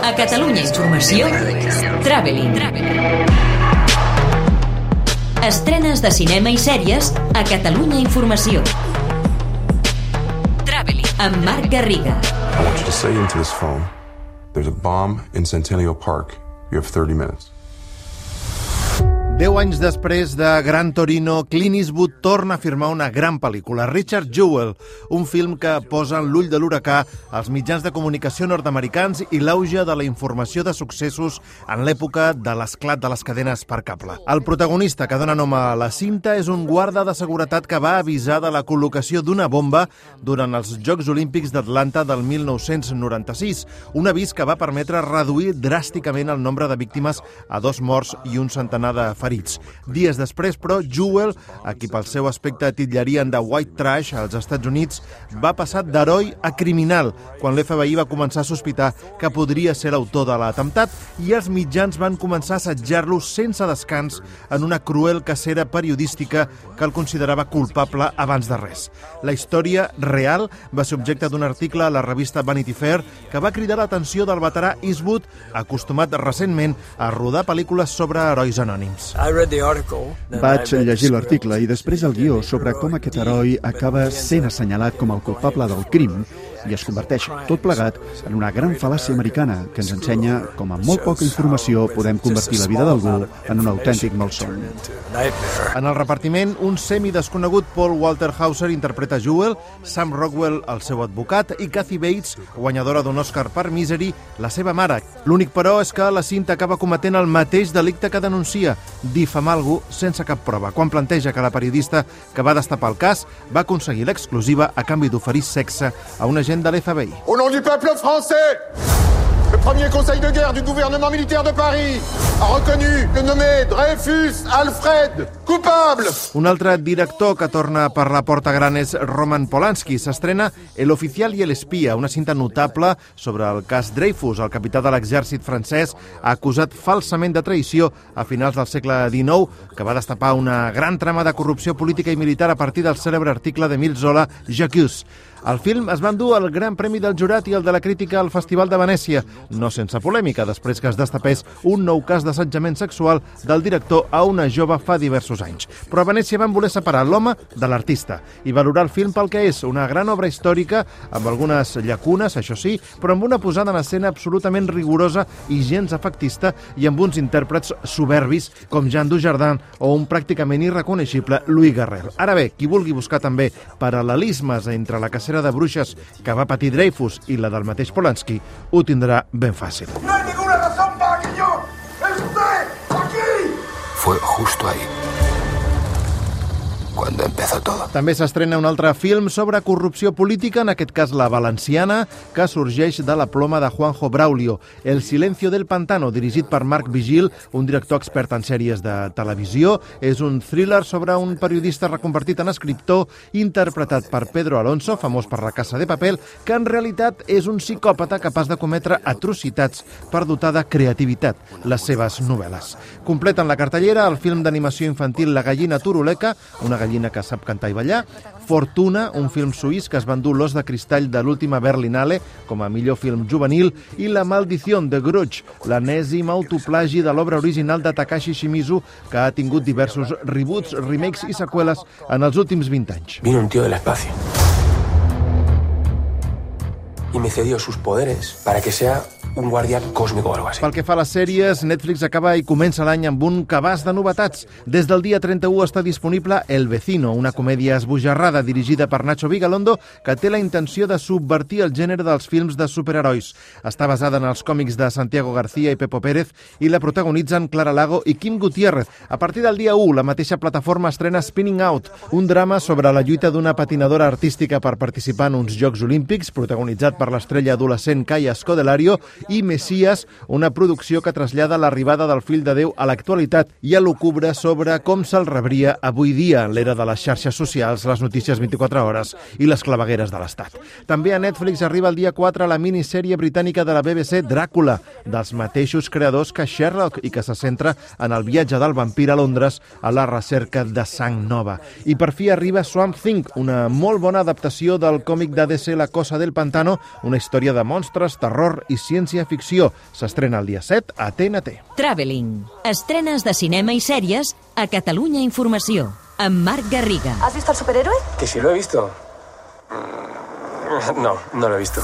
A Catalunya Informació, Traveling. Estrenes de cinema i sèries a Catalunya Informació. Traveling, amb Marc Garriga. I want you to say into this phone, there's a bomb in Centennial Park. You have 30 minutes. 10 anys després de Gran Torino, Clint Eastwood torna a firmar una gran pel·lícula, Richard Jewell, un film que posa en l'ull de l'huracà els mitjans de comunicació nord-americans i l'auge de la informació de successos en l'època de l'esclat de les cadenes per cable. El protagonista que dona nom a la cinta és un guarda de seguretat que va avisar de la col·locació d'una bomba durant els Jocs Olímpics d'Atlanta del 1996, un avís que va permetre reduir dràsticament el nombre de víctimes a 2 morts i un centenar de ferits. Dies després, però, Jewell, a qui pel seu aspecte titllarien de white trash als Estats Units, va passar d'heroi a criminal quan l'FBI va començar a sospitar que podria ser l'autor de l'atemptat i els mitjans van començar a assetjar-lo sense descans en una cruel cacera periodística que el considerava culpable abans de res. La història real va ser objecte d'un article a la revista Vanity Fair que va cridar l'atenció del veterà Eastwood, acostumat recentment a rodar pel·lícules sobre herois anònims. Vaig llegir l'article i després el guió sobre com aquest heroi acaba sent assenyalat com el culpable del crim i es converteix tot plegat en una gran fal·làcia americana que ens ensenya com amb molt poca informació podem convertir la vida d'algú en un autèntic malson. En el repartiment, un semidesconegut Paul Walter Hauser interpreta Jewell, Sam Rockwell, el seu advocat, i Kathy Bates, guanyadora d'un Oscar per Misery, la seva mare. L'únic, però, és que la cinta acaba cometent el mateix delicte que denuncia, difamar algú sense cap prova, quan planteja que la periodista que va destapar el cas va aconseguir l'exclusiva a canvi d'oferir sexe a un agent de l'FBI. Au nom du peuple français, le premier conseil de guerre du gouvernement militaire de Paris a reconnu le nommé Dreyfus Alfred coupable. Un altre director que torna per la porta gran és Roman Polanski. S'estrena El oficial i el espia, una cinta notable sobre el cas Dreyfus, el capità de l'exèrcit francès acusat falsament de traïció a finals del segle XIX, que va destapar una gran trama de corrupció política i militar a partir del cèlebre article d'Émile Zola, J'accuse. El film es va endur el Gran Premi del Jurat i el de la Crítica al Festival de Venècia, no sense polèmica, després que es destapés un nou cas d'assetjament sexual del director a una jove fa diversos anys. Però a Venècia van voler separar l'home de l'artista i valorar el film pel que és, una gran obra històrica, amb algunes llacunes, això sí, però amb una posada en escena absolutament rigorosa i gens efectista i amb uns intèrprets soberbis com Jean Dujardin o un pràcticament irreconeixible Louis Garrel. Ara bé, qui vulgui buscar també paral·lelismes entre la cacera de bruixes que va patir Dreyfus i la del mateix Polanski, ho tindrà ben fàcil. No hay ninguna razón para que yo esté aquí. Fue justo ahí cuando empezó todo. També s'estrena un altre film sobre corrupció política, en aquest cas la valenciana, que sorgeix de la ploma de Juanjo Braulio. El silencio del pantano, dirigit per Marc Vigil, un director expert en sèries de televisió. És un thriller sobre un periodista reconvertit en escriptor, interpretat per Pedro Alonso, famós per La Casa de Papel, que en realitat és un psicòpata capaç de cometre atrocitats per dotar de creativitat les seves novel·les. Completen la cartellera el film d'animació infantil La gallina turuleca, una gallina que sap cantar i ballar, Fortuna, un film suís que es va endur l'Os de Cristall de l'última Berlinale com a millor film juvenil, i La maldición de Grudge, l'enèsim autoplagi de l'obra original de Takashi Shimizu, que ha tingut diversos reboots, remakes i seqüeles en els últims 20 anys. Vino un tío del espacio y me cedió sus poderes para que sea un guardià còsmic o algo así. Pel que fa a les sèries, Netflix acaba i comença l'any amb un cabàs de novetats. Des del dia 31 està disponible El vecino, una comèdia esbojarrada dirigida per Nacho Vigalondo que té la intenció de subvertir el gènere dels films de superherois. Està basada en els còmics de Santiago García i Pepo Pérez i la protagonitzen Clara Lago i Kim Gutiérrez. A partir del dia 1, la mateixa plataforma estrena Spinning Out, un drama sobre la lluita d'una patinadora artística per participar en uns Jocs Olímpics, protagonitzat per l'estrella adolescent Kaya Scodelario, i Messias, una producció que trasllada l'arribada del fill de Déu a l'actualitat i elucubra sobre com se'l rebria avui dia en l'era de les xarxes socials, les notícies 24 hores i les clavegueres de l'Estat. També a Netflix arriba el dia 4 la minissèrie britànica de la BBC Dràcula, dels mateixos creadors que Sherlock i que se centra en el viatge del vampir a Londres a la recerca de sang nova. I per fi arriba Swamp Thing, una molt bona adaptació del còmic de DC La cosa del pantano, una història de monstres, terror i ciència ciència-ficció. S'estrena el dia 7 a TNT. Traveling. Estrenes de cinema i sèries a Catalunya Informació. Amb Marc Garriga. ¿Has visto al superhéroe? ¿Que si lo he visto? No, no lo he visto.